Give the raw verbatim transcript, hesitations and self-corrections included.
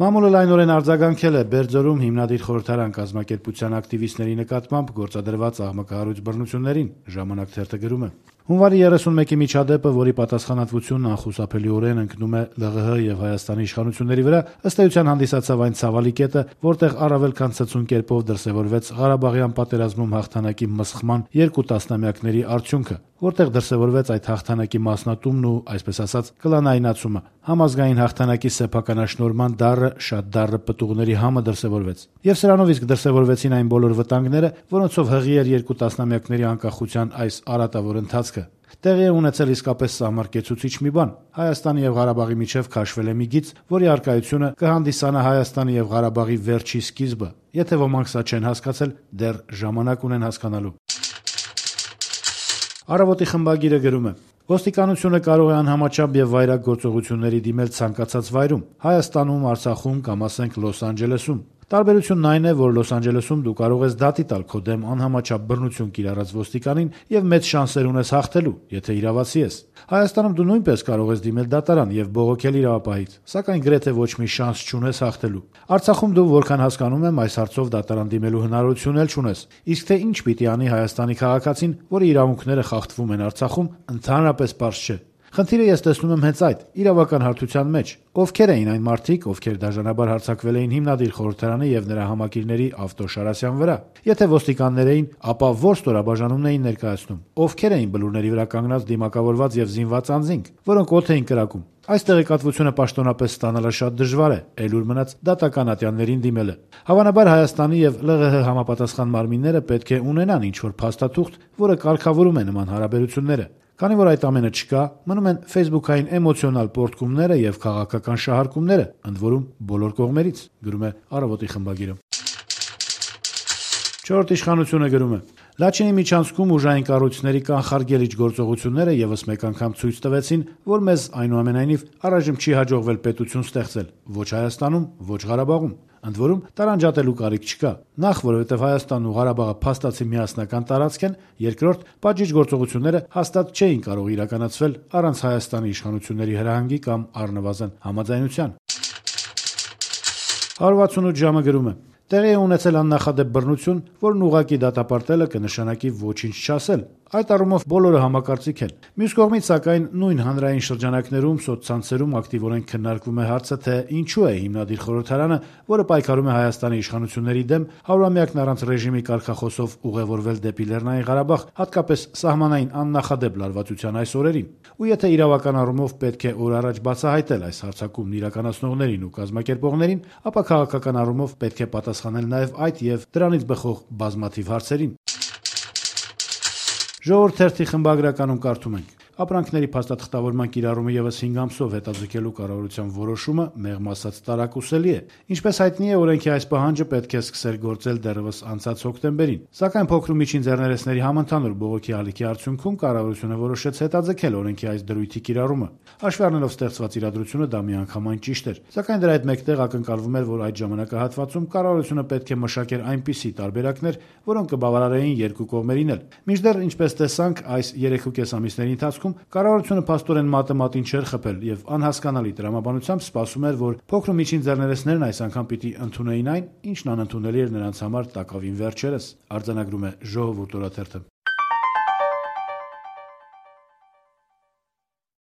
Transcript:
Մամուլը լայնորեն արձագանքել է Բերձորում հիմնադիր խորհրդարան կազմակերպության ակտիվիստների նկատմամբ գործադրված աղմկահարույց բռնություններին, ժամանակ թերթը գրում է. Հունվարի երեսունմեկի միջադեպը, որի պատասխանատվությունն անխուսափելիորեն ընկնում է ԼՂՀ եւ Հայաստանի իշխանությունների վրա, ըստ էության հանդիսացավ այն ցավալի կետը, որտեղ առավել քան ցցուն կերպով դրսեւորվեց Ղարաբաղյան պատերազմում հաղթանակի մսխման երկու տասնամյակների արդյունքը, որտեղ դրսեւորվեց այդ հաղթանակի մասնատումն ու, այսպես ասած, կլանայնացումը, համազգային հաղթանակի սեփականաշնորհման դառը, շատ դառը պտուղների համը դրսեւորվեց։ Եվ սրանով իսկ դրսեւորվեցին այն բոլոր վտանգները, որոնցով հղի էր երկու տասնամյակների անկախության այս արատավոր ընթացքը։ Տեղի է ունեցել իսկապես սահմռկեցուցիչ մի բան։ Հայաստանի եւ Ղարաբաղի միջեւ քաշվել է մի գիծ, որի առկայությունը կհանդիսանա Հայաստանի եւ Ղարաբաղի վերջի սկիզբը։ Եթե ոմանք սա չեն հասկացել, դեռ ժամանակ ունեն հասկանալու։ Առավոտի խմբագիրը գրում է. Ոստիկանությունը կարող է անհամաչափ եւ վայրագ գործողությունների դիմել ցանկացած վայրում՝ Հայաստանում, Արցախում կամ ասենք Լոս Անջելեսում։ Տարբերությունն այն է, որ Լոս Անջելեսում դու կարող ես դատի տալ քո դեմ անհամաչափ բռնություն կիրառած ոստիկանին եւ մեծ շանսեր ունես հաղթելու, եթե իրավացի ես։ Հայաստանում դու նույնպես կարող ես դիմել դատարան եւ բողոքել իրավապահից, սակայն գրեթե ոչ մի շանս չունես հաղթելու։ Արցախում դու, որքան հասկանում եմ, այս հարցով դատարան դիմելու հնարավորություն էլ չունես։ Իսկ թե ինչ պիտի անի Հայաստանի քաղաքացին, որի իրավունքները խախտվում են Արցախում, ընդհանրապես պարզ չէ։ Խնդիրը ես տեսնում եմ հենց այդ՝ իրավական հարթության մեջ։ Ովքեր էին այն մարդիկ, ովքեր դաժանաբար հարձակվել էին հիմնադիր խորհրդարանի եւ նրա համակիրների Ավտո Շարասյան վրա։ Եթե ոստիկաններ էին, ապա ո՞ր ստորաբաժանումն էին ներկայացնում։ Ովքեր էին բլուրների վրա կանգնած դիմակավորված եւ զինված անձինք, որոնք օդ էին կրակում։ Այս տեղեկատվությունը պաշտոնապես ստանալը շատ դժվար է, այլուր մնաց դատական ատյաններին դիմելը։ Հավանաբար Հայաստանի եւ ԼՂՀ համապատասխան մարմինները պետք է ունենան ինչ-որ փաստաթուղթ, որը կարգավորում է նման հարաբերությունները։ Քանի որ այդ ամենը չկա, մնում են ֆեյսբուքային էմոցիոնալ պոռթկումները եւ քաղաքական շահարկումները, ընդ որում բոլոր կողմերից, գրում է Առավոտի խմբագիրը։ Չորրորդ իշխանությունը գրում է. Լաչինի միջանցքում ուժային կառույցների կանխարգելիչ գործողությունները եւս մեկ անգամ ցույց տվեցին, որ մեզ այնուամենայնիվ առայժմ չի հաջողվել պետություն ստեղծել ոչ Հայաստանում, ոչ Ղարաբաղում։ Ընդ որում տարանջատելու կարիք չկա։ Նախ, որովհետև Հայաստանն ու Ղարաբաղը փաստացի միասնական տարածք են, երկրորդ, պատժիչ գործողությունները հաստատ չէին կարող իրականացվել առանց Հայաստանի իշխանությունների հրահանգի կամ առնվազն համաձայնության։ հարյուր վաթսունութ ժամը գրում է. Տեղի է ունեցել աննախադեպ բռնություն, որն ուղղակի դատապարտելը կնշանակի ոչինչ չասել։ Այդ առումով բոլորը համակարծիք են։ Մյուս կողմից, սակայն, նույն հանրային շրջանակներում, սոցցանցերում ակտիվորեն քննարկվում է հարցը, թե ինչու է հիմնադիր խորհրդարանը, որը պայքարում է Հայաստանի իշխանությունների դեմ, հարյուրամյակն առանց ռեժիմի կարգախոսով ուղևորվել դեպի Լեռնային Ղարաբաղ, հատկապես սահմանային աննախադեպ լարվածության այս օրերին։ Ու եթե իրավական առումով պետք է օր առաջ բացահայտել այս հարձակումն իրականացնողներին ու կազմակերպողներին, ապա քաղաքական առումով պետք է պատասխանել նաև այդ եւ դրանից բխող բազմաթիվ հարցերին։ Ժողովուրդ թերթի խմբագրականում կարդում ենք. Ապրանքների փաստաթղթավորման կիրառումը եւս հինգ ամսով հետաձգելու կառավարության որոշումը մեղմ ասած տարակուսելի է։ Ինչպես հայտնի է, օրենքի այս պահանջը պետք է սկսեր գործել դեռևս անցած հոկտեմբերին։ Սակայն փոքր ու միջին ձեռներեցների համընդհանուր բողոքի ալիքի արդյունքում կառավարությունը որոշեց հետաձգել օրենքի այս դրույթի կիրառումը։ Հաշվի առնելով ստեղծված իրադրությունը, դա միանգամայն ճիշտ էր։ Սակայն դրա հետ մեկտեղ ակնկալվում էր, որ այդ ժամանակահատվածում կառավարությունը պետք է մշակեր այնպիսի տարբերակներ, որոնք կբավարարեին երկու կողմերին էլ։ Մինչդեռ, ինչպես տեսանք, այս երեք ու կես ամիսների ընթացքում կառավարությունը փաստորեն մատը մատին չէր խփել եւ անհասկանալի տրամաբանությամբ սպասում էր, որ փոքր ու միջին ձեռներեցներն այս անգամ պիտի ընդունեին այն, ինչն անընդունելի էր նրանց համար տակավին վերջերս, արձանագրում է Ժողովուրդ օրաթերթը։